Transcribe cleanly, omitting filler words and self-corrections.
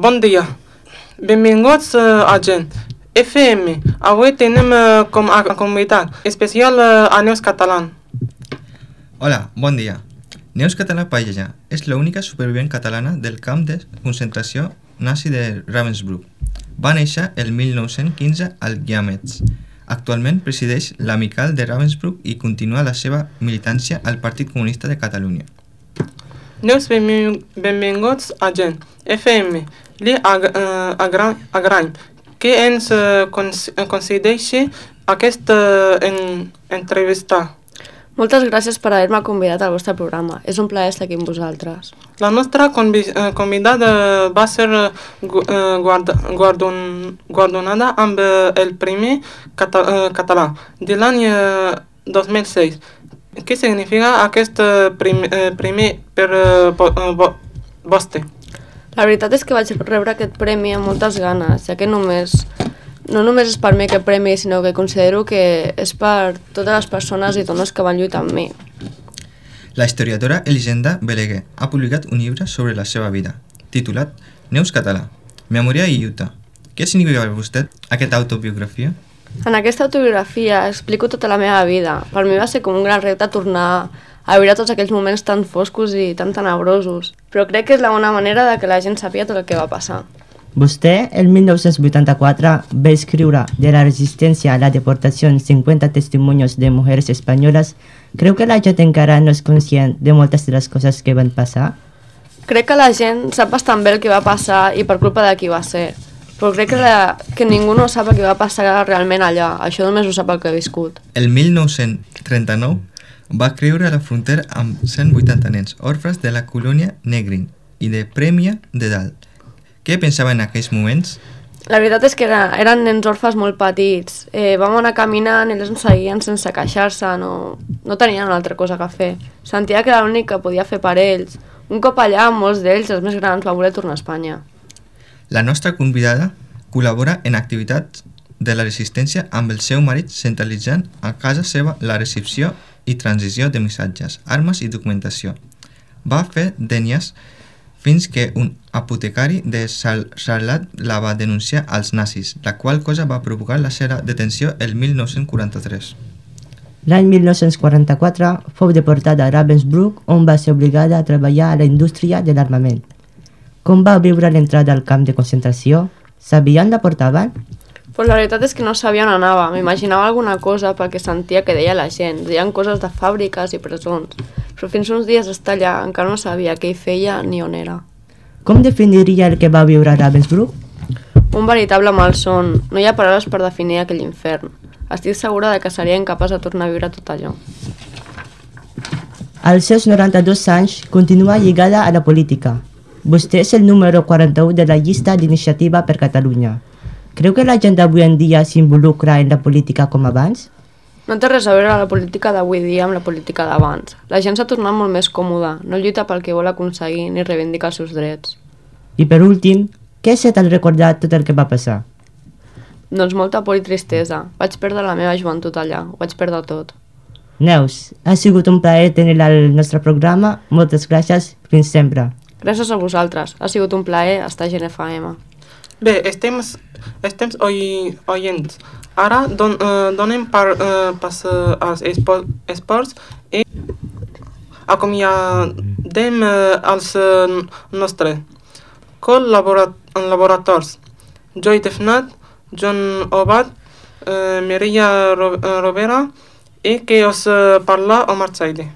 Bon dia. Benvinguts a Gent FM. Avui tenim com a convidat especial a Neus Catalán. Hola, bon dia. Neus Catalán Paella és l'única supervivent catalana del camp de concentració nazi de Ravensbrück. Va néixer el 1915 al Guiamets. Actualment presideix l'Amical de Ravensbrück i continua la seva militància al Partit Comunista de Catalunya. Neus, benvinguts a Gent FM. Li agraïm que ens concedeixi aquesta entrevista. Moltes gràcies per haver-me convidat al vostre programa. És un plaer estar aquí amb vosaltres. La nostra convidada va ser guardonada amb el Premi Català de l'any 2006. Què significa aquest premi per vostè? La veritat és que vaig rebre aquest premi amb moltes ganes, ja que no només és per mi aquest premi, sinó que considero que és per totes les persones i dones que van lluitar amb mi. La historiadora Elisenda Beleguer ha publicat un llibre sobre la seva vida, titulat Neus Català, Memòria i lluita. Què significa per vostè aquesta autobiografia? En aquesta autobiografia explico tota la meva vida. Per mi va ser com un gran repte tornar a viure tots aquells moments tan foscos i tan tenebrosos, però crec que és la bona manera de que la gent sàpiga tot el que va passar. Vostè, el 1984, va escriure de la resistència a la deportació en 50 testimonios de mujeres espanyoles. Creu que la gent encara no és conscient de moltes de les coses que van passar? Crec que la gent sap bastant bé el que va passar i per culpa de qui va ser, però crec que ningú no sap el que va passar realment allà. Això només ho sap el que ha viscut. El 1939 va creure a la frontera amb 180 nens orfes de la colònia Negrin i de Premià de Dalt. Què pensava en aquells moments? La veritat és que eren nens orfes molt petits. Vam anar caminant i ells ens seguien sense queixar-se, no tenien una altra cosa que fer. Sentia que era l'únic que podia fer per ells. Un cop allà, molts d'ells, els més grans, van voler tornar a Espanya. La nostra convidada col·labora en activitats de la resistència amb el seu marit, centralitzant a casa seva la recepció i transició de missatges, armes i documentació. Va fer d'ènies fins que un apotecari de Sarlat la va denunciar als nazis, la qual cosa va provocar la seva detenció el 1943. L'any 1944 fou deportada a Ravensbrück, on va ser obligada a treballar a la indústria de l'armament. Com va viure l'entrada al camp de concentració? Sabien la portaven? Pues la veritat és que no sabia on anava. M'imaginava alguna cosa perquè sentia que deia la gent. Deien coses de fàbriques i presons. Però fins uns dies d'estar allà encara no sabia què hi feia ni on era. Com definiria el que va viure a Ravensbrück? Un veritable malson. No hi ha paraules per definir aquell infern. Estic segura de que seria incapaç de tornar a viure tot allò. Als seus 92 anys continua lligada a la política. Vostè és el número 41 de la llista d'Iniciativa per Catalunya. Creu que la gent d'avui en dia s'involucra en la política com abans? No té res a veure la política d'avui dia amb la política d'abans. La gent s'ha tornat molt més còmoda, no lluita pel que vol aconseguir ni reivindica els seus drets. I per últim, què se t'ha recordat tot el que va passar? Doncs molta por i tristesa. Vaig perdre la meva joventut allà, ho vaig perdre tot. Neus, ha sigut un plaer tenir-la al nostre programa. Moltes gràcies, fins sempre. Gràcies a vosaltres, ha sigut un plaer estar a Gent FM. Bé, estem oients. Ara donem pas als esports i acomiadem els nostres col·laboradors. Joy Defnat, John Obat, Mireia Rovera i que us parla Omar Saidi.